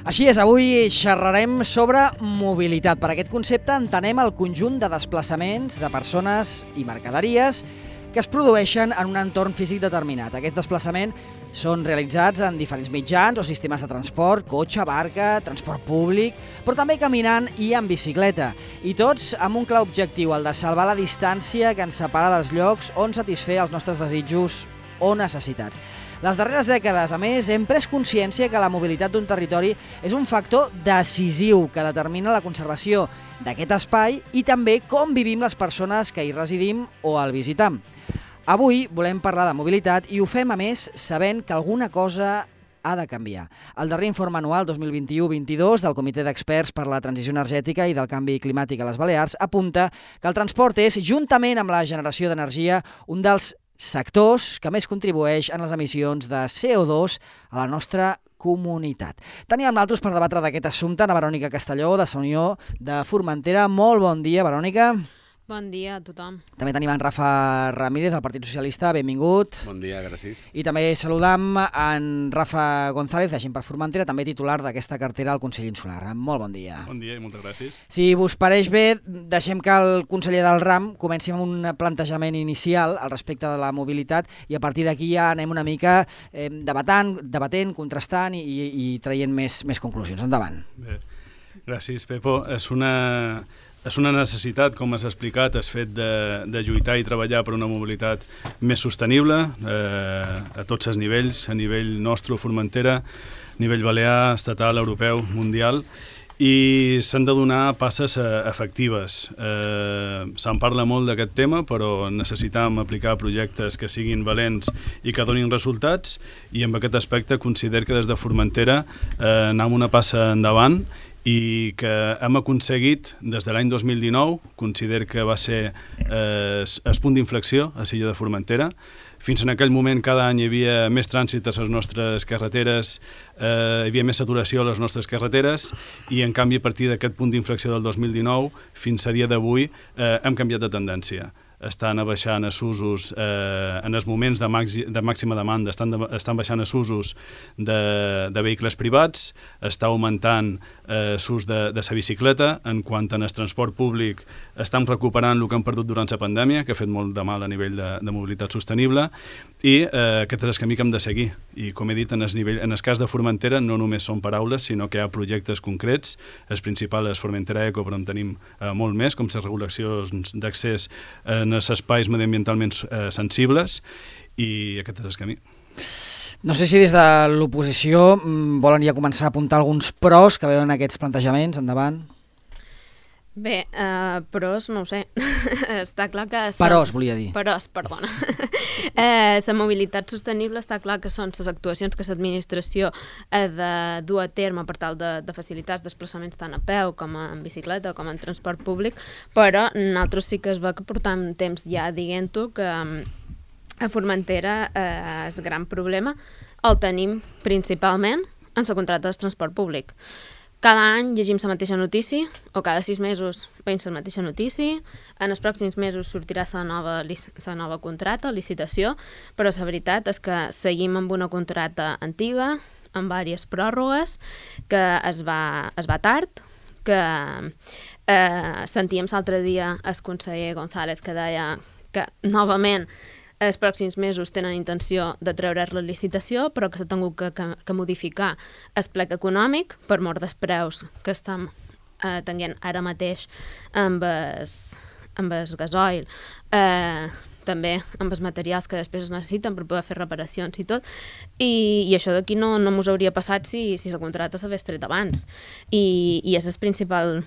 Així és, avui xerrarem sobre mobilitat. Per aquest concepte entenem el conjunt de desplaçaments de persones i mercaderies que es produeixen en un entorn físic determinat. Aquests desplaçaments són realitzats en diferents mitjans o sistemes de transport, cotxe, barca, transport públic, però també caminant i en bicicleta. I tots amb un clar objectiu, el de salvar la distància que ens separa dels llocs on satisfer els nostres desitjos o necessitats. Les darreres dècades, a més, hem pres consciència que la mobilitat d'un territori és un factor decisiu que determina la conservació d'aquest espai i també com vivim les persones que hi residim o el visitam. Avui volem parlar de mobilitat i ho fem, a més, sabent que alguna cosa ha de canviar. El darrer informe anual 2021-22 del Comitè d'Experts per la Transició Energètica i del Canvi Climàtic a les Balears apunta que el transport és, juntament amb la generació d'energia, un dels sectors que més contribueix en les emissions de CO2 a la nostra comunitat. Teníem nosaltres per debatre d'aquest assumpte a Verònica Castelló, de la Unió de Formentera. Molt bon dia, Verònica. Bon dia a tothom. També tenim en Rafa Ramírez, del Partit Socialista. Benvingut. Bon dia, gràcies. I també saludam en Rafa González, de Gent per Formentera, també titular d'aquesta cartera al Consell Insular. Molt bon dia. Bon dia i moltes gràcies. Si us pareix bé, deixem que el conseller del RAM comenci amb un plantejament inicial al respecte de la mobilitat i a partir d'aquí ja anem una mica debatent, contrastant i traient més conclusions. Endavant. Bé, gràcies, Pepo. És una necessitat, com has explicat, has fet de lluitar i treballar per una mobilitat més sostenible a tots els nivells, a nivell nostre, Formentera, a nivell balear, estatal, europeu, mundial, i s'han de donar passes efectives. Se'n parla molt d'aquest tema, però necessitam aplicar projectes que siguin valents i que donin resultats, i en aquest aspecte considero que des de Formentera anem una passa endavant i que hem aconseguit des de l'any 2019, considero que va ser el punt d'inflexió a l'illa de Formentera. Fins en aquell moment cada any hi havia més trànsit a les nostres carreteres, hi havia més saturació a les nostres carreteres i en canvi a partir d'aquest punt d'inflexió del 2019 fins a dia d'avui hem canviat de tendència. Estan baixant els usos en els moments de màxima demanda, estan baixant els usos de vehicles privats, està augmentant l'ús de la bicicleta, en quant al transport públic estan recuperant el que han perdut durant la pandèmia, que ha fet molt de mal a nivell de mobilitat sostenible, i aquest és el camí que hem de seguir. I com he dit, en el cas de Formentera no només són paraules, sinó que hi ha projectes concrets. El principal és Formentera Eco, però en tenim molt més, com les regulacions d'accés en els espais mediambientalment sensibles, i aquest és el camí. No sé si des de l'oposició volen ja començar a apuntar alguns pros que veuen aquests plantejaments. Endavant. Bé, pros no ho sé. Està clar que... Peròs, volia dir. Peròs, perdona. La mobilitat sostenible està clar que són les actuacions que l'administració ha de dur a terme per tal de facilitar els desplaçaments tant a peu com en bicicleta com en transport públic, però nosaltres sí que es va que portam temps ja dient-ho que a Formentera el gran problema el tenim principalment en la contracta del transport públic. Cada any llegim la mateixa notícia, o cada 6 mesos veiem la mateixa notícia, en els pròxims mesos sortirà la nova contracta, licitació, però la veritat és que seguim amb una contracta antiga, amb diverses pròrrogues, que es va tard, que sentíem l'altre dia el conseller González que deia que novament els pròxims mesos tenen intenció de treure la licitació, però que s'ha tingut que modificar el plec econòmic per mort dels preus que estem tenint ara mateix amb el gasoil, també amb els materials que després es necessiten per poder fer reparacions i tot, i això d'aquí no mos hauria passat si la contracta s'hagués tret abans. I és el principal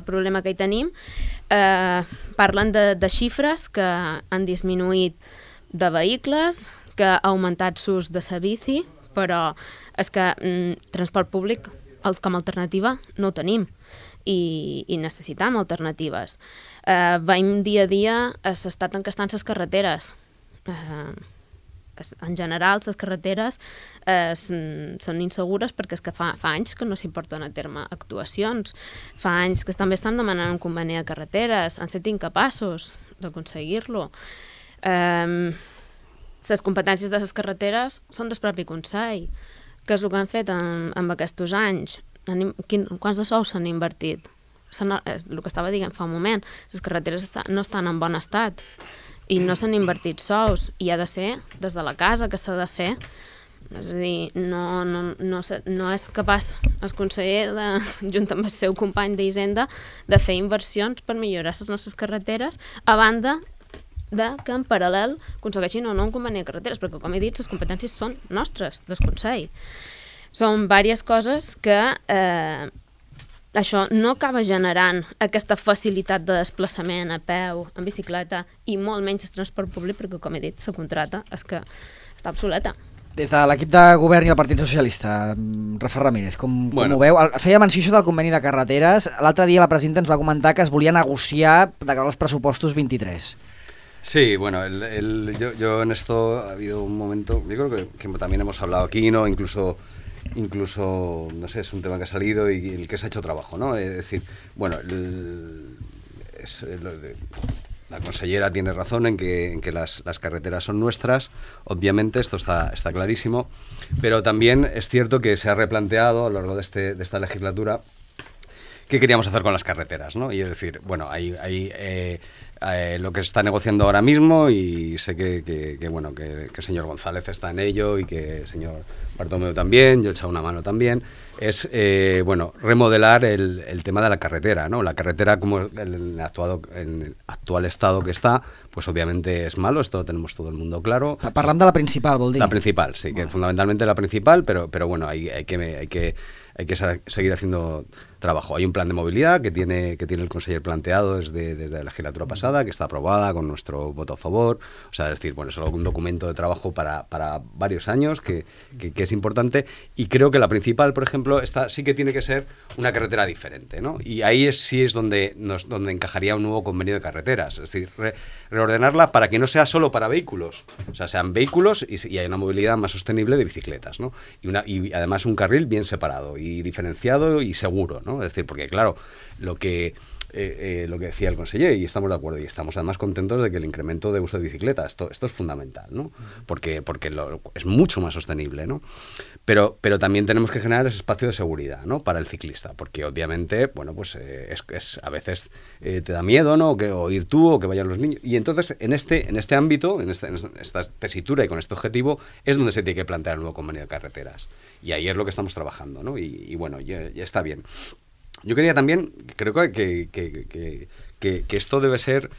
problema que hi tenim. Parlen de xifres que han disminuït de vehicles, que ha augmentat l'ús de la bici, però és que transport públic com a alternativa no ho tenim i necessitam alternatives. Veiem dia a dia l'estat en què estan les carreteres. En general, les carreteres són insegures perquè és que fa anys que no s'hi porten a terme actuacions. Fa anys que també estan demanant un conveni de carreteres, han estat incapaços d'aconseguir-lo. Les competències de les carreteres són del propi Consell. què és el que han fet en aquests anys? Quants de sous s'han invertit? El que estava dient fa un moment, les carreteres no estan en bon estat i no s'han invertit sous i ha de ser des de la casa que s'ha de fer. És a dir, no és capaç el conseller, junt amb el seu company d'Hisenda, de fer inversions per millorar les nostres carreteres, a banda que en paral·lel aconsegueixin o no un conveni de carreteres, perquè, com he dit, les competències són nostres, del Consell. Són diverses coses que això no acaba generant aquesta facilitat de desplaçament a peu, en bicicleta, i molt menys el transport públic, perquè, com he dit, la contrata és que està obsoleta. Des de l'equip de govern i el Partit Socialista, Rafa Ramírez, com ho veu? Feia menció això del conveni de carreteres. L'altre dia la presidenta ens va comentar que es volia negociar de cara als pressupostos 23. Sí, bueno, yo en esto ha habido un momento, yo creo que también hemos hablado aquí, ¿no? Incluso, no sé, es un tema que ha salido y el que se ha hecho trabajo, ¿no? Es decir, bueno, la consellera tiene razón en que las carreteras son nuestras, obviamente, esto está clarísimo, pero también es cierto que se ha replanteado a lo largo de esta legislatura qué queríamos hacer con las carreteras, ¿no? Y es decir, bueno, hay lo que se está negociando ahora mismo, y sé que el señor González está en ello y que el señor Bartomeu también, yo he echado una mano también, es remodelar el tema de la carretera, ¿no? La carretera, como en el actual estado que está, pues obviamente es malo, esto lo tenemos todo el mundo claro. Parlant de la principal, vol dir? La principal, sí, que fundamentalmente la principal, pero bueno, hay que seguir haciendo trabajo. Hay un plan de movilidad que tiene el conseller planteado desde la legislatura pasada, que está aprobada con nuestro voto a favor. O sea, es decir, bueno, es un documento de trabajo para varios años que es importante, y creo que la principal, por ejemplo, esta sí que tiene que ser una carretera diferente, ¿no? Y ahí sí es donde encajaría un nuevo convenio de carreteras, es decir, reordenarla para que no sea solo para vehículos, o sea, sean vehículos y hay una movilidad más sostenible de bicicletas, ¿no? Y además un carril bien separado y diferenciado y seguro, ¿no? Es decir, porque claro, lo que decía el conseller, y estamos de acuerdo, y estamos además contentos de que el incremento de uso de bicicleta, esto es fundamental, ¿no? Porque es mucho más sostenible, ¿no? Pero también tenemos que generar ese espacio de seguridad, ¿no? Para el ciclista, porque obviamente, bueno, pues a veces te da miedo, ¿no? O ir tú, o que vayan los niños, y entonces en este ámbito, en esta tesitura y con este objetivo, es donde se tiene que plantear el nuevo convenio de carreteras, y ahí es lo que estamos trabajando, ¿no? Y bueno, ya está bien. Yo quería también, creo que esto debe ser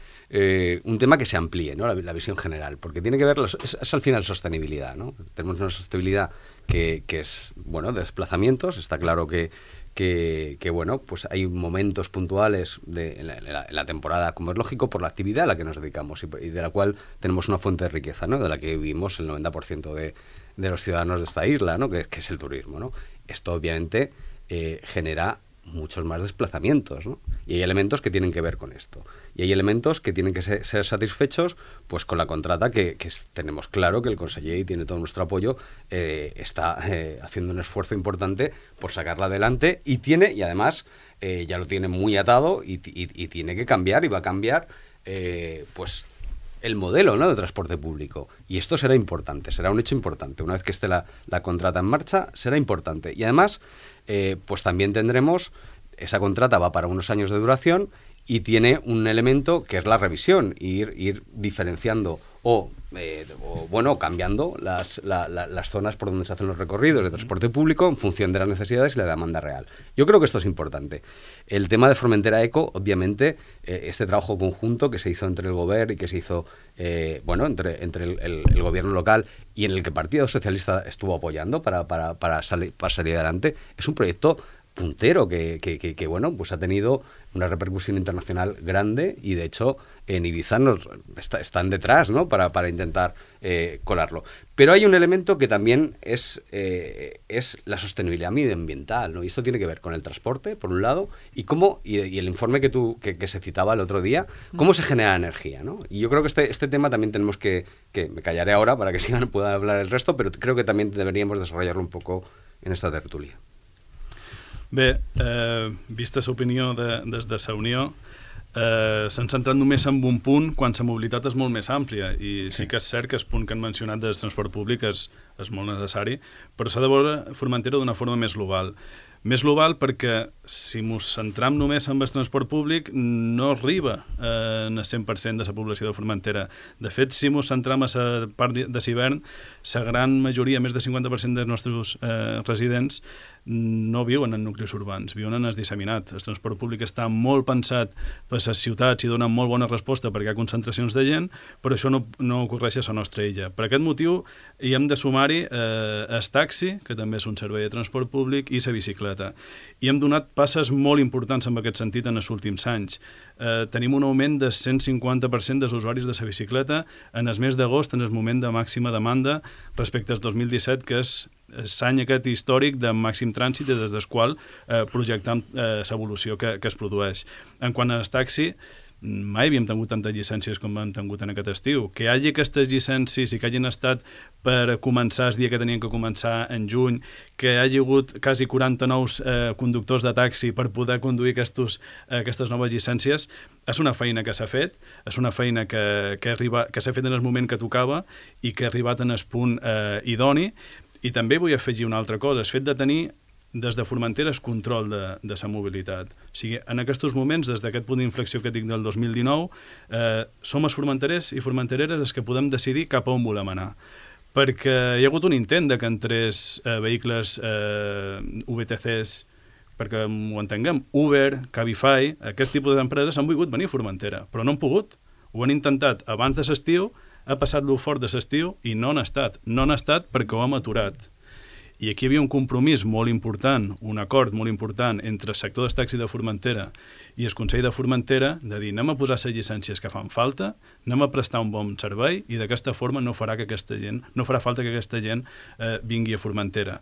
un tema que se amplíe, ¿no? La visión general, porque tiene que ver, es al final sostenibilidad, ¿no? Tenemos una sostenibilidad que es, bueno, de desplazamientos. Está claro que bueno, pues hay momentos puntuales en la temporada, como es lógico, por la actividad a la que nos dedicamos y de la cual tenemos una fuente de riqueza, ¿no? De la que vivimos el 90% de los ciudadanos de esta isla, ¿no? Que es el turismo, ¿no? Esto obviamente genera muchos más desplazamientos, ¿no? Y hay elementos que tienen que ver con esto. Y hay elementos que tienen que ser satisfechos pues con la contrata que tenemos claro que el conseller, y tiene todo nuestro apoyo, está haciendo un esfuerzo importante por sacarla adelante, y además ya lo tiene muy atado y tiene que cambiar, y va a cambiar pues el modelo, ¿no? De transporte público. Y esto será importante, será un hecho importante. Una vez que esté la contrata en marcha, será importante. Y además, pues también tendremos, esa contrata va para unos años de duración y tiene un elemento que es la revisión, ir diferenciando o cambiando las zonas por donde se hacen los recorridos de transporte público en función de las necesidades y la demanda real. Yo creo que esto es importante. El tema de Formentera Eco, obviamente, este trabajo conjunto que se hizo entre el Gobierno y que se hizo entre el gobierno local, y en el que el Partido Socialista estuvo apoyando para salir adelante, es un proyecto puntero que bueno, pues ha tenido una repercusión internacional grande, y de hecho en Ibiza están detrás, ¿no? para intentar colarlo. Pero hay un elemento que también es la sostenibilidad medioambiental, ¿no? Y esto tiene que ver con el transporte, por un lado, y el informe que se citaba el otro día, cómo se genera energía, ¿no? Y yo creo que este tema también tenemos que me callaré ahora para que pueda hablar el resto, pero creo que también deberíamos desarrollarlo un poco en esta tertulia. Bé, vista l'opinió des de la Unió, s'han centrat només en un punt quan la mobilitat és molt més àmplia, i sí que és cert que el punt que han mencionat del transport públic és molt necessari, però s'ha de veure Formentera d'una forma més global. Més global perquè si ens centram només en el transport públic no arriba en el 100% de la població de Formentera. De fet, si ens centram a la part de l'hivern, la gran majoria, més del 50% dels nostres residents, no viuen en nuclis urbans, viuen en el disseminat. El transport públic està molt pensat per les ciutats i dona molt bona resposta perquè hi ha concentracions de gent, però això no ocorreix a la nostra illa. Per aquest motiu hi hem de sumar-hi el taxi, que també és un servei de transport públic, i la bicicleta. I hem donat passes molt importants en aquest sentit en els últims anys. Tenim un augment de 150% dels usuaris de la bicicleta en el mes d'agost, en el moment de màxima demanda, respecte al 2017, que és l'any aquest històric de màxim trànsit des del qual projectam l'evolució que es produeix. En quant al taxi, mai havíem tingut tantes llicències com hem tingut en aquest estiu. Que hi hagi aquestes llicències i que hagin estat per començar el dia que tenien que començar en juny, que hi hagi hagut quasi 40 nous conductors de taxi per poder conduir aquestes noves llicències, és una feina que s'ha fet, és una feina que s'ha fet en el moment que tocava i que ha arribat en el punt idoni. I també vull afegir una altra cosa, el fet de tenir des de Formentera el control de la mobilitat. O sigui, en aquests moments, des d'aquest punt d'inflexió que dic del 2019, som els formenterers i formentereres els que podem decidir cap a on volem anar. Perquè hi ha hagut un intent de que entrés vehicles VTCs, perquè ho entenguem, Uber, Cabify, aquest tipus d'empreses han volgut venir a Formentera, però no han pogut. Ho han intentat abans de l'estiu, ha passat lo fort de l'estiu i no han estat. No han estat perquè ho hem aturat. I aquí hi havia un compromís molt important, un acord molt important entre el sector del taxi de Formentera i el Consell de Formentera de dir anem a posar les llicències que fan falta, anem a prestar un bon servei i d'aquesta forma no farà falta que aquesta gent vingui a Formentera.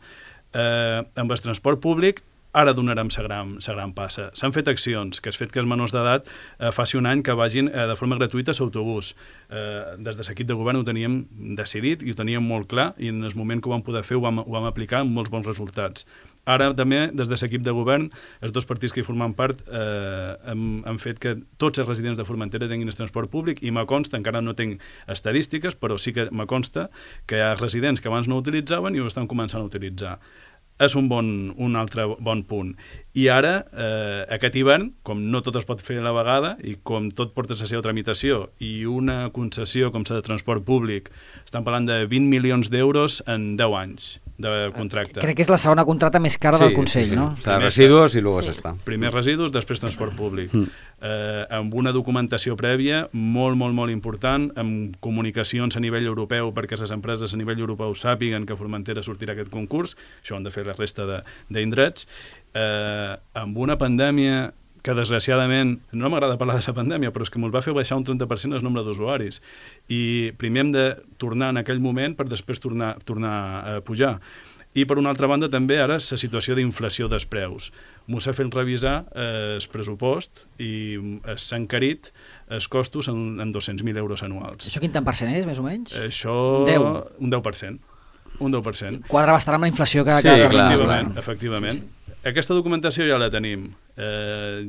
Amb el transport públic ara donarem la gran passa. S'han fet accions, que has fet que els menors d'edat faci un any que vagin de forma gratuïta a l'autobús. Des de l'equip de govern ho teníem decidit i ho teníem molt clar i en el moment que ho vam poder fer ho vam aplicar amb molts bons resultats. Ara també, des de l'equip de govern, els dos partits que hi formen part han fet que tots els residents de Formentera tinguin el transport públic i me consta, encara no tinc estadístiques, però sí que me consta que hi ha residents que abans no ho utilitzaven i ho estan començant a utilitzar. És un altre bon punt. I ara, aquest hivern, com no tot es pot fer a la vegada i com tot porta la seva tramitació i una concessió com la de transport públic, estan parlant de 20 milions d'euros en 10 anys de contracte. Crec que és la segona contracta més cara del Consell, no? O sea, residus i luego s'està. Primer residus, després transport públic. Amb una documentació prèvia molt, molt, molt important, amb comunicacions a nivell europeu perquè les empreses a nivell europeu sàpiguen que Formentera sortirà aquest concurs, això han de fer la resta d'indrets, amb una pandèmia que desgraciadament, no m'agrada parlar de la pandèmia, però és que ens va fer baixar un 30% el nombre d'usuaris. I primer hem de tornar en aquell moment per després tornar a pujar. I per una altra banda també ara la situació d'inflació dels preus. M'ho s'ha fet revisar el pressupost i s'ha encarit els costos en 200.000 euros anuals. Això quin tant percent és, més o menys? Això... Un 10%. Un 10%. Quadra bastant amb la inflació que... Sí, efectivament. Aquesta documentació ja la tenim.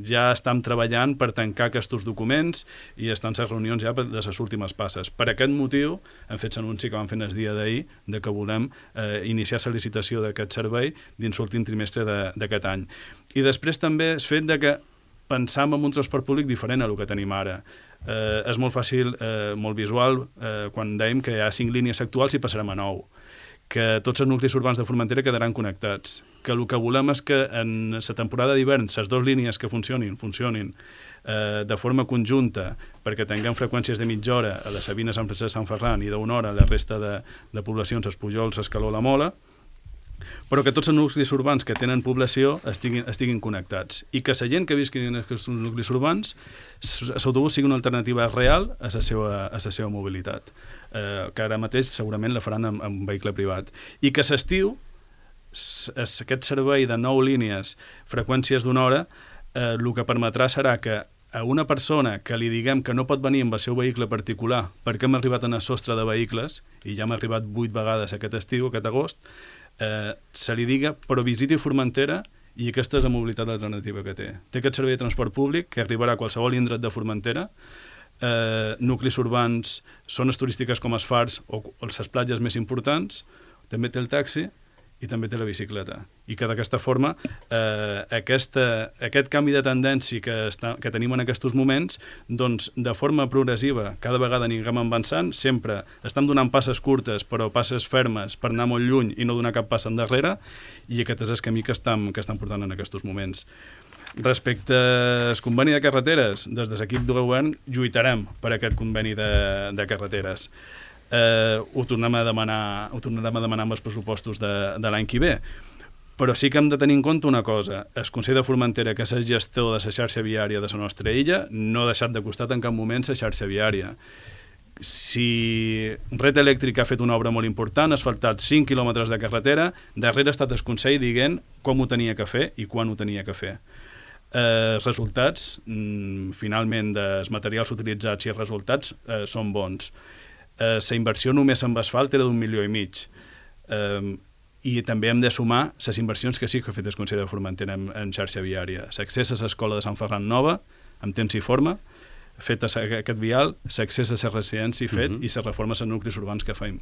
Ja estem treballant per tancar aquests documents i estan les reunions ja de les últimes passes. Per aquest motiu hem fet l'anunci que vam fer el dia d'ahir de que volem iniciar la licitació d'aquest servei dins l'últim trimestre d'aquest any. I després també és fet que pensam en un transport públic diferent a el que tenim ara. És molt fàcil, molt visual, quan dèiem que hi ha 5 línies actuals i passarem a 9. Que tots els nuclis urbans de Formentera quedaran connectats, que el que volem és que en la temporada d'hivern les dues línies que funcionin de forma conjunta perquè tinguem freqüències de mitja hora a les Sabines, Sant Francesc, Sant Ferran i d'una hora a la resta de poblacions, els Pujols, Escaló, la Mola, però que tots els nuclis urbans que tenen població estiguin connectats i que la gent que visqui en aquests nuclis urbans l'autobús sigui una alternativa real a la seva mobilitat, que ara mateix segurament la faran amb vehicle privat, i que a l'estiu aquest servei de 9 línies, freqüències d'una hora, el que permetrà serà que a una persona que li diguem que no pot venir amb el seu vehicle particular perquè hem arribat en el sostre de vehicles, i ja hem arribat 8 vegades aquest estiu, aquest agost, se li diga, però visiti Formentera i aquesta és la mobilitat alternativa que té. Té aquest servei de transport públic que arribarà a qualsevol indret de Formentera, nuclis urbans, zones turístiques com els fars o les platges més importants, també té el taxi i també té la bicicleta. I que d'aquesta forma aquest canvi de tendència que tenim en aquests moments, doncs de forma progressiva, cada vegada anirem avançant, sempre estem donant passes curtes però passes fermes per anar molt lluny i no donar cap pas endarrere, i aquest és el camí que estem portant en aquests moments. Respecte al conveni de carreteres, des de l'equip de govern lluitarem per aquest conveni de carreteres. Ho tornarem a demanar amb els pressupostos de l'any que ve. Però sí que hem de tenir en compte una cosa. El Consell de Formentera, que és el gestor de la xarxa viària de la nostra illa, no ha deixat de costat en cap moment la xarxa viària. Si Red Elèctrica ha fet una obra molt important, ha asfaltat 5 quilòmetres de carretera, darrere ha estat el Consell dient com ho tenia que fer i quan ho tenia que fer. Els resultats, finalment, dels materials utilitzats i els resultats són bons. La inversió només amb asfalt era d'1,5 milions. I també hem de sumar les inversions que sí que ha fet el Consell de Formentera en xarxa viària. L'accés a l'escola de Sant Ferran Nova, amb temps i forma, fet aquest vial, l'accés a la residència fet i les reformes en nuclis urbans que fem.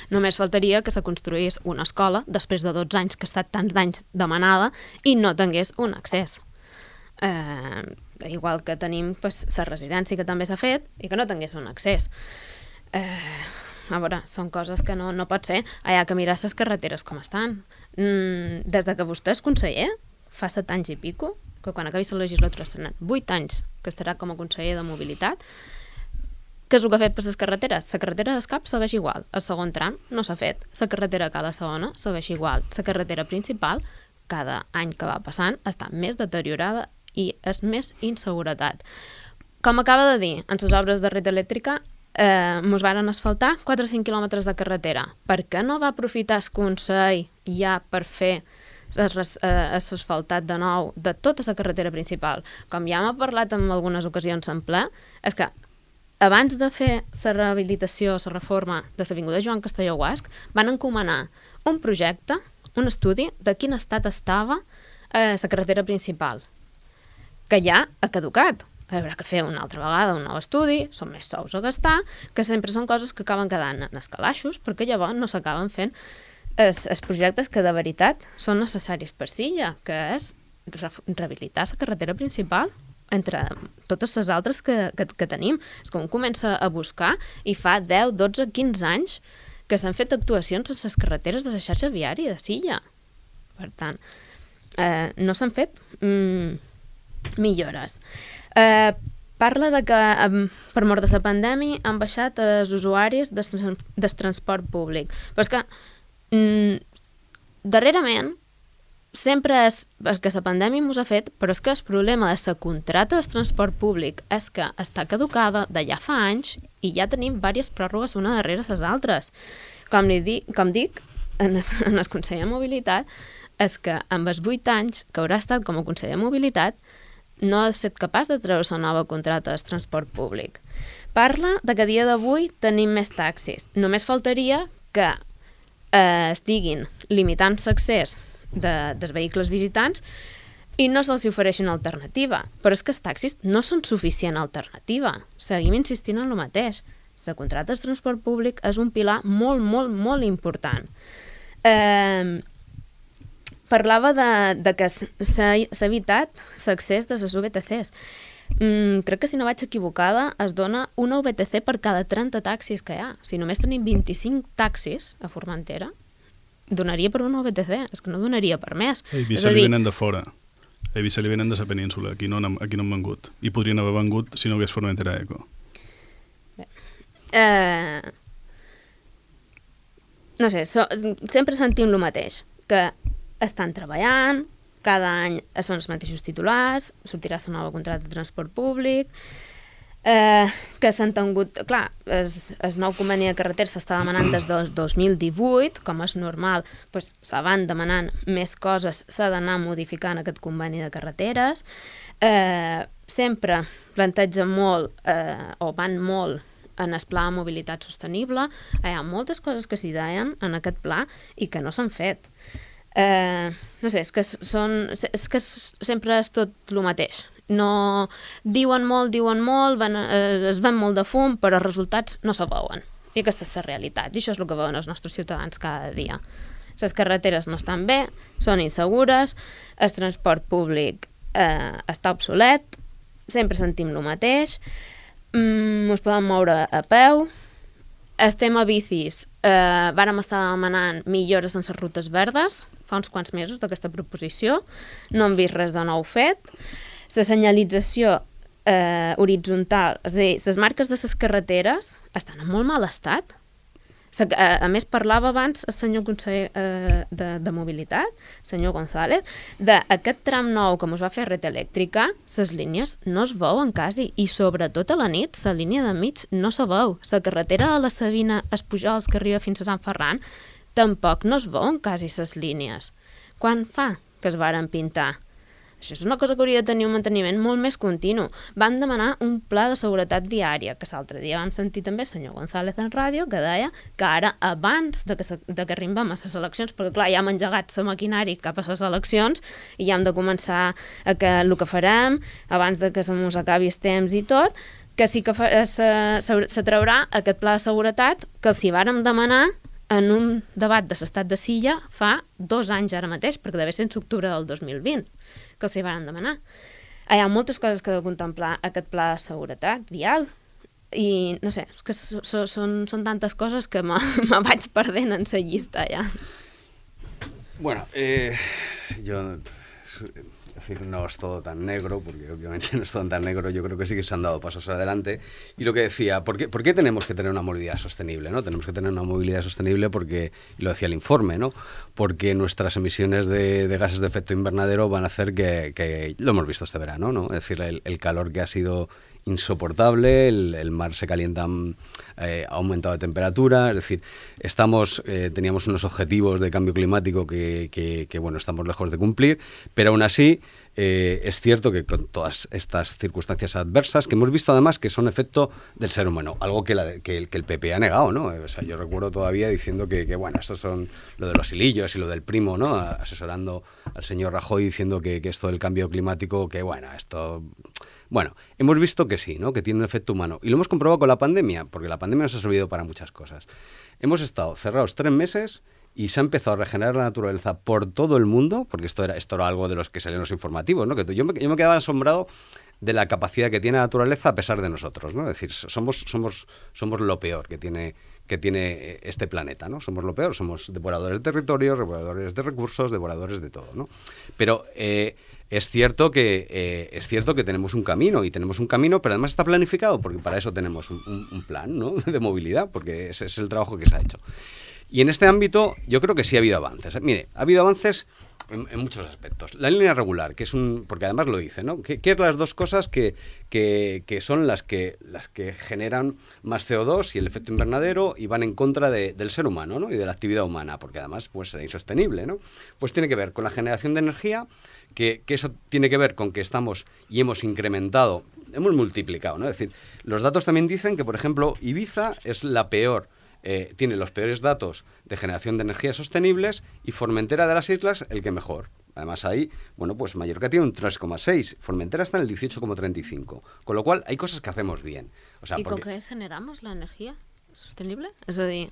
Només faltaria que se construís una escola després de 12 anys que ha estat tants d'anys demanada i no tingués un accés. Igual que tenim la residència que també s'ha fet i que no tingués un accés. A veure, són coses que no pot ser. Hi ha que mirar les carreteres com estan. Des que vostè és conseller, fa 7 anys i pico, que quan acabi la legislatura estaran 8 anys que estarà com a conseller de mobilitat, què és el que ha fet per les carreteres? La carretera d'Escap segueix igual. El segon tram no s'ha fet. La carretera Cala Segona segueix igual. La carretera principal, cada any que va passant, està més deteriorada i és més inseguretat. Com acaba de dir, en les obres de Red Elèctrica ens van asfaltar 4 o 5 quilòmetres de carretera. Per què no va aprofitar el Consell ja per fer asfaltat de nou de tota la carretera principal? Com ja m'ha parlat en algunes ocasions en ple, és que abans de fer la rehabilitació, la reforma de l'avinguda Joan Castelló Guasc, van encomanar un projecte, un estudi de quin estat estava la carretera principal, que ja ha caducat. Haurà que fer una altra vegada un nou estudi, són més sous a gastar, que sempre són coses que acaben quedant en escalaixos, perquè llavors no s'acaben fent els projectes que de veritat són necessaris per Silla, que és rehabilitar la carretera principal entre totes les altres que tenim. És que un comença a buscar i fa 10, 12, 15 anys que s'han fet actuacions en les carreteres de la xarxa viària de Silla. Per tant, no s'han fet millores. Parla de que per mort de la pandèmia han baixat els usuaris del transport públic. Però és que darrerament sempre és que la pandèmia ens ha fet, però és que el problema de la contracta del transport públic és que està caducada de ja fa anys i ja tenim diverses pròrrogues una darrere les altres. Com dic, en el Consell de Mobilitat, és que amb els 8 anys que haurà estat com a conseller de Mobilitat no ha estat capaç de treure la nova contracta del transport públic. Parla de que a dia d'avui tenim més taxis. Només faltaria que estiguin limitant l'accés dels vehicles visitants i no se'ls ofereixin alternativa. Però és que els taxis no són suficient alternativa. Seguim insistint en el mateix. La contracta del transport públic és un pilar molt, molt, molt important. Parlava de que s'ha evitat l'accés de les VTCs. Crec que si no vaig equivocada es dona una VTC per cada 30 taxis que hi ha. Si només tenim 25 taxis a Formentera, donaria per una VTC, és que no donaria per més. A Eivissa li venen de fora. A Eivissa li venen de la península, aquí no han vengut. I podrien haver vengut si no hagués Formentera Eco. No sé, sempre sentim el mateix, que estan treballant, cada any són els mateixos titulars, sortirà la nova contracta de transport públic, que s'han tingut... Clar, el nou conveni de carreteres s'està demanant des del 2018, com és normal, doncs se van demanant més coses, s'ha d'anar modificant aquest conveni de carreteres, sempre plantegen molt, o van molt, en el pla de mobilitat sostenible. Hi ha moltes coses que s'hi deien en aquest pla i que no s'han fet. no sé, és que sempre és tot el mateix. No, diuen molt, es ven molt de fum, però els resultats no se veuen. I aquesta és la realitat, i això és el que veuen els nostres ciutadans cada dia. Les carreteres no estan bé, són insegures, el transport públic està obsolet, sempre sentim el mateix, ens podem moure a peu, el tema bicis, vàrem estar demanant millores en les rutes verdes, fa uns quants mesos d'aquesta proposició, no hem vist res de nou fet. La senyalització horitzontal, és a dir, les marques de les carreteres estan en molt mal estat. A més, parlava abans el senyor conseller de Mobilitat, el senyor González, d'aquest tram nou que ens va fer Red Elèctrica, les línies no es veuen quasi, i sobretot a la nit, la línia de mig no se veu. La carretera de la Sabina, els Pujols, que arriba fins a Sant Ferran, tampoc no es veuen quasi les línies. Quan fa que es varen pintar? Això és una cosa que hauria de tenir un manteniment molt més continu. Van demanar un pla de seguretat viària, que l'altre dia vam sentir també el senyor González en ràdio, que deia que ara, abans de que arribem a les eleccions, perquè clar, ja hem engegat la maquinari cap a les eleccions i ja hem de començar el que farem, abans de que se mos acabi el temps i tot, que sí que se traurà aquest pla de seguretat que els hi vàrem demanar en un debat de l'estat de Silla fa 2 anys ara mateix, perquè deve ser en octubre del 2020, que els hi van demanar. Hi ha moltes coses que ha de contemplar aquest pla de seguretat vial i, no sé, és que són tantes coses que me vaig perdent en la llista ja. Bueno, yo... Es decir, no es todo tan negro, porque obviamente no es todo tan negro, yo creo que sí que se han dado pasos adelante. Y lo que decía, ¿por qué tenemos que tener una movilidad sostenible? ¿No? Tenemos que tener una movilidad sostenible porque, y lo decía el informe, ¿no? Porque nuestras emisiones de gases de efecto invernadero van a hacer que lo hemos visto este verano, ¿no? Es decir, el calor que ha sido insoportable, el mar se calienta, ha aumentado de temperatura, es decir, teníamos unos objetivos de cambio climático que bueno, estamos lejos de cumplir, pero aún así es cierto que con todas estas circunstancias adversas, que hemos visto además que son efecto del ser humano, algo que el PP ha negado, ¿no? O sea, yo recuerdo todavía diciendo que bueno, estos son lo de los hilillos y lo del primo, ¿no? Asesorando al señor Rajoy diciendo que esto del cambio climático, que bueno, esto... Bueno, hemos visto que sí, ¿no? Que tiene un efecto humano. Y lo hemos comprobado con la pandemia, porque la pandemia nos ha servido para muchas cosas. Hemos estado cerrados 3 meses y se ha empezado a regenerar la naturaleza por todo el mundo, porque esto era algo de los que salían los informativos, ¿no? Que yo me quedaba asombrado de la capacidad que tiene la naturaleza a pesar de nosotros, ¿no? Es decir, somos lo peor que tiene este planeta, ¿no? Somos lo peor, somos devoradores de territorio, devoradores de recursos, devoradores de todo, ¿no? Pero es cierto que tenemos un camino, pero además está planificado, porque para eso tenemos un plan, ¿no? De movilidad, porque ese es el trabajo que se ha hecho. Y en este ámbito yo creo que sí ha habido avances. Mire, ha habido avances en muchos aspectos. La línea regular, que es porque además lo dice, ¿no? ¿Qué es las dos cosas que son las que generan más CO2 y el efecto invernadero y van en contra del ser humano, ¿no? Y de la actividad humana, porque además pues es insostenible, ¿no? Pues tiene que ver con la generación de energía, que eso tiene que ver con que estamos y hemos incrementado, hemos multiplicado, ¿no? Es decir, los datos también dicen que, por ejemplo, Ibiza es la peor, tiene los peores datos de generación de energías sostenibles y Formentera de las islas el que mejor. Además ahí, bueno, pues Mallorca tiene un 3,6, Formentera está en el 18,35, con lo cual hay cosas que hacemos bien. O sea, ¿Y con qué generamos la energía sostenible? És a dir...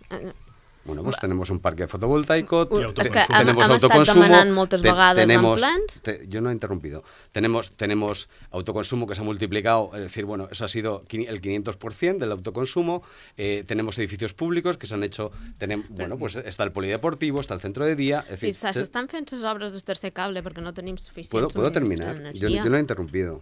Bueno, pues tenemos un parque fotovoltaico, és que tenemos hem autoconsumo, estat demanant moltes vegades en plans. Yo no he interrumpido. Tenemos autoconsumo que se ha multiplicado, es decir, bueno, eso ha sido el 500% del autoconsumo. Tenemos edificios públicos que se han hecho, bueno, pues está el polideportivo, está el centro de día. Es decir, s'estan fent les obres del tercer cable perquè no tenim suficient ¿Puedo terminar? d'energia. Yo no he interrumpido.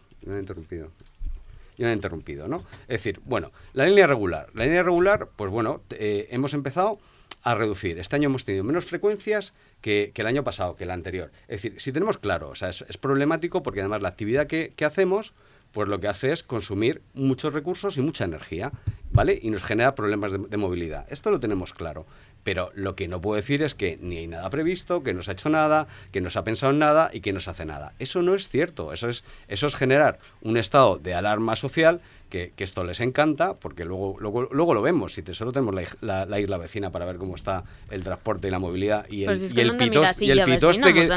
¿No? Es decir, bueno, la línea regular, pues bueno, hemos empezado a reducir. Este año hemos tenido menos frecuencias que el año pasado, que el anterior. Es decir, si tenemos claro, o sea, es problemático porque además la actividad que hacemos, pues lo que hace es consumir muchos recursos y mucha energía, ¿vale? Y nos genera problemas de movilidad. Esto lo tenemos claro. Pero lo que no puedo decir es que ni hay nada previsto, que no se ha hecho nada, que no se ha pensado en nada y que no se hace nada. Eso no es cierto. Eso es generar un estado de alarma social que esto les encanta, porque luego lo vemos. Solo tenemos la isla vecina para ver cómo está el transporte y la movilidad y el pitoste que...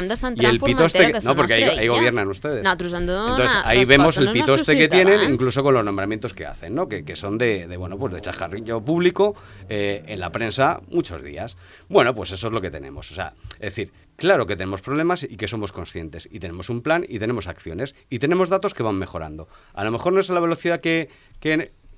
No, porque ahí gobiernan ustedes. Entonces ahí vemos el pitoste que tienen, incluso con los nombramientos que hacen, ¿no? Que son de chascarrillo público en la prensa muchos días. Bueno, pues eso es lo que tenemos. O sea, es decir, claro que tenemos problemas y que somos conscientes, y tenemos un plan y tenemos acciones y tenemos datos que van mejorando. A lo mejor no es a la velocidad que...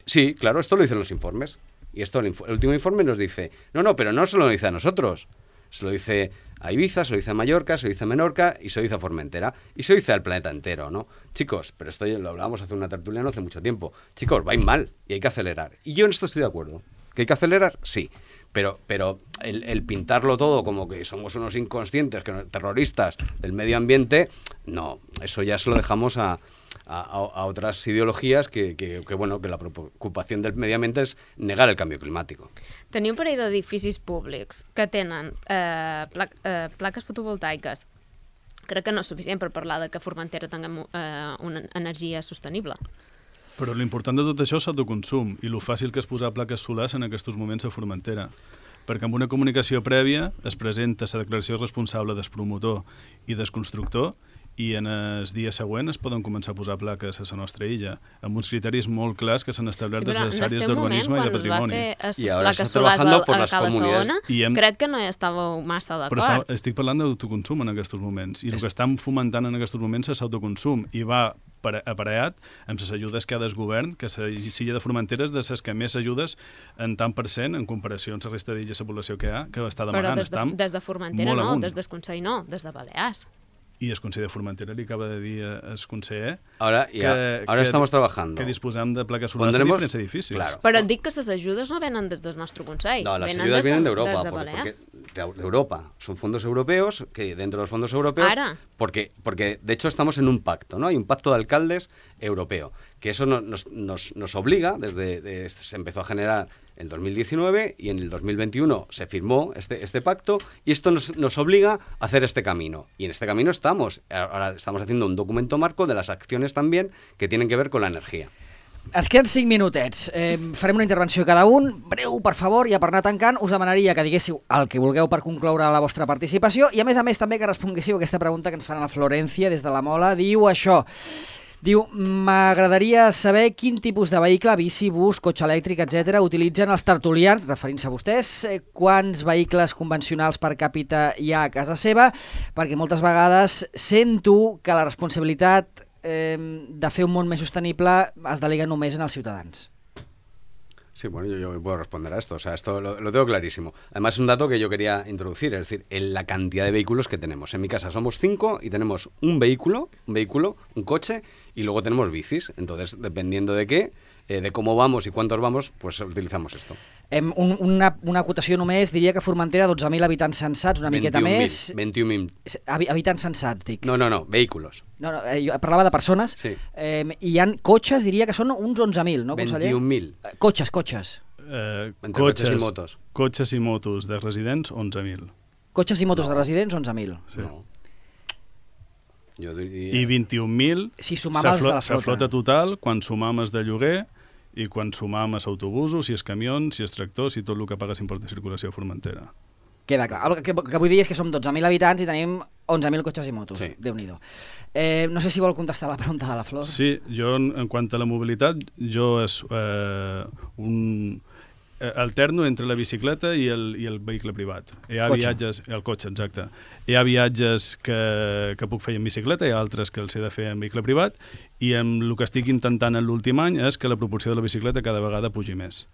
Sí, claro, esto lo dicen los informes. Y esto el último informe nos dice, no, pero no se lo dice a nosotros. Se lo dice a Ibiza, se lo dice a Mallorca, se lo dice a Menorca y se lo dice a Formentera. Y se lo dice al planeta entero, ¿no? Chicos, pero esto lo hablábamos hace una tertulia no hace mucho tiempo. Chicos, vais mal y hay que acelerar. Y yo en esto estoy de acuerdo. ¿Que hay que acelerar? Sí. Pero el pintarlo todo como que somos unos inconscientes, terroristas del medio ambiente, no, eso ya se lo dejamos a otras ideologías que la preocupación del medio ambiente és negar el canvi climàtic. Teniu un parell d'edificis públics que tenen plaques fotovoltaiques. Crec que no és suficient per parlar de que a Formentera tinguem una energia sostenible. Però l'important de tot això és l'autoconsum i el fàcil que és posar plaques solars en aquests moments a Formentera. Perquè amb una comunicació prèvia es presenta la declaració responsable del promotor i del constructor i en els dies següents es poden començar a posar plaques a la nostra illa, amb uns criteris molt clars que s'han establert des de les àrees d'urbanisme i de patrimoni. I ara s'està trabajando por las comunidades. Crec que no hi estàveu massa d'acord. Però estic parlant d'autoconsum en aquests moments, i el que estan fomentant en aquests moments és l'autoconsum, i va aparellat amb les ajudes que ha del govern, que la Illa de Formentera és de les que més ajudes en tant per cent en comparació amb la resta d'illes de població que hi ha, que està demanant. Però des de Formentera no, des del Consell no, des de Balears. Y el Consejo de Formentera le acaba de decir al conseller ahora estamos trabajando. Que disposamos de placas solares en diferents edificios. Claro. Pero dic que les ayudas no vienen desde nuestro Consell. No, las ayudas vienen de Europa. De Europa. Son fondos europeos, que dentro de los fondos europeos... Porque de hecho estamos en un pacto, ¿no? Hay un pacto de alcaldes europeo, que eso nos obliga, se empezó a generar en 2019 y en el 2021 se firmó este pacto, y esto nos obliga a hacer este camino. Y en este camino estamos. Ahora estamos haciendo un documento marco de las acciones también que tienen que ver con la energía. Ens queden 5 minutets. Farem una intervenció cada un. Breu, per favor, i a per anar tancant us demanaria que diguéssiu el que vulgueu per concloure la vostra participació i a més també que responguéssiu aquesta pregunta que ens fan a Florència des de la Mola. Diu això. Diu, m'agradaria saber quin tipus de vehicle, bici, bus, cotxe elèctric, etc., utilitzen els tertulians, referint-se a vostès, quants vehicles convencionals per càpita hi ha a casa seva, perquè moltes vegades sento que la responsabilitat de fer un món més sostenible es delega només en els ciutadans. Sí, bueno, yo puedo responder a esto. O sea, esto lo tengo clarísimo. Además, es un dato que yo quería introducir, es decir, en la cantidad de vehículos que tenemos. En mi casa somos 5 y tenemos un vehículo, un coche, y luego tenemos bicis. Entonces, dependiendo de qué, de cómo vamos y cuántos vamos, pues utilizamos esto. Una acotació només, diria que Formentera 12.000 habitants censats, una miqueta més... 21.000. Habitants censats, dic. No, vehículos. No, jo parlava de persones. Sí. I hi ha cotxes, diria que són uns 11.000, no, conseller? 21.000. Cotxes. Cotxes i motos de residents, 11.000. Cotxes i motos de residents, 11.000. Sí. No. Jo diria... I 21.000 si sumam els de la flota. La flota total, quan sumam els de lloguer i quan sumam els autobusos, si els camions, si els tractors, i tot el que paga import de circulació a Formentera. Queda clar. El que vull dir és que som 12.000 habitants i tenim 11.000 cotxes i motos. Sí. Déu-n'hi-do. No sé si vol contestar la pregunta de la Flor. Sí, jo en quant a la mobilitat, jo és alterno entre la bicicleta i el vehicle privat. Hi ha viatges, el cotxe, exacte. Hi ha viatges que puc fer en bicicleta, hi ha altres que els he de fer en vehicle privat, i el que estic intentant en l'últim any és que la proporció de la bicicleta cada vegada pugi més.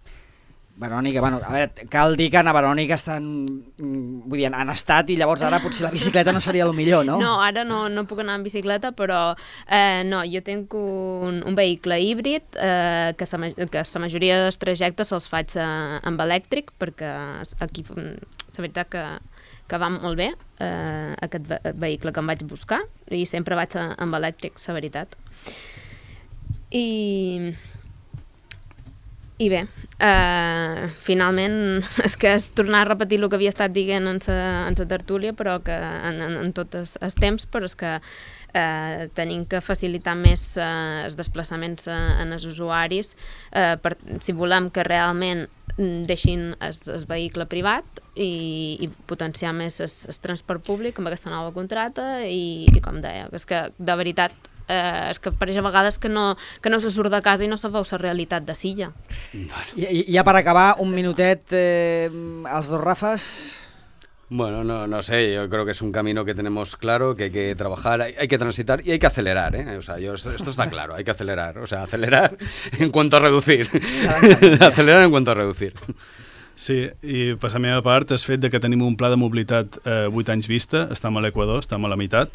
Verònica, bueno, a veure, cal dir que a Verònica estan, vull dir, han estat i llavors ara potser la bicicleta no seria el millor, no? No, ara no puc anar en bicicleta, però no, jo tinc un vehicle híbrid que la majoria dels trajectes els faig amb elèctric, perquè aquí la veritat que va molt bé aquest vehicle que em vaig buscar i sempre vaig amb elèctric, la veritat. I bé, finalment és que és tornar a repetir el que havia estat dient en la tertúlia, però que en tot el temps, però és que tenim que facilitar més els desplaçaments en els usuaris si volem que realment deixin el vehicle privat i potenciar més el transport públic amb aquesta nova contracta i com deia, és que de veritat és que pareix a vegades que no se surt de casa i no se veu la realitat de Silla. I ja per acabar, un minutet, els dos Rafas. Bueno, no sé, yo creo que es un camino que tenemos claro, que hay que trabajar, hay que transitar y hay que acelerar, ¿eh? O sea, esto está claro, hay que acelerar, o sea, acelerar en cuanto a reducir. Acelerar en cuanto a reducir. Sí, i per la meva part, el fet de que tenim un pla de mobilitat 8 anys vista, estem a l'Equador, estem a la meitat.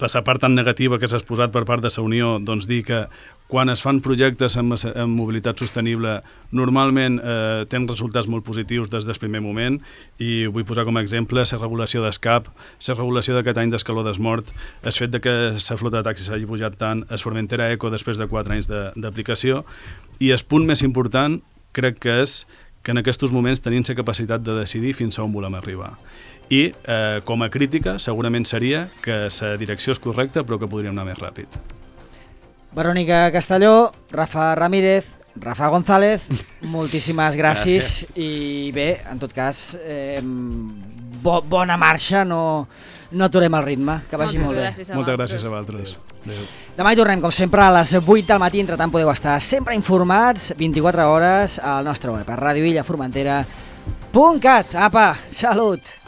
Per la part tan negativa que s'ha exposat per part de la Unió, doncs dir que quan es fan projectes en mobilitat sostenible normalment tenen resultats molt positius des del primer moment i vull posar com a exemple la regulació d'escap, la regulació d'aquest any d'escaló desmort, el fet de que la flota de taxis hagi pujat tant, el Formentera Eco després de 4 anys d'aplicació i el punt més important crec que és que en aquests moments tenim la capacitat de decidir fins a on volem arribar. I com a crítica segurament seria que la direcció és correcta però que podríem anar més ràpid. Verònica Castelló, Rafa Ramírez, Rafa González, moltíssimes gràcies i bé, en tot cas, bona marxa, no aturem el ritme, que vagi molt bé. Moltes gràcies a vosaltres. Demà hi tornem, com sempre, a les 8 del matí, entre tant podeu estar sempre informats, 24 hores, al nostre web, a radioillaformentera.cat. Apa, salut!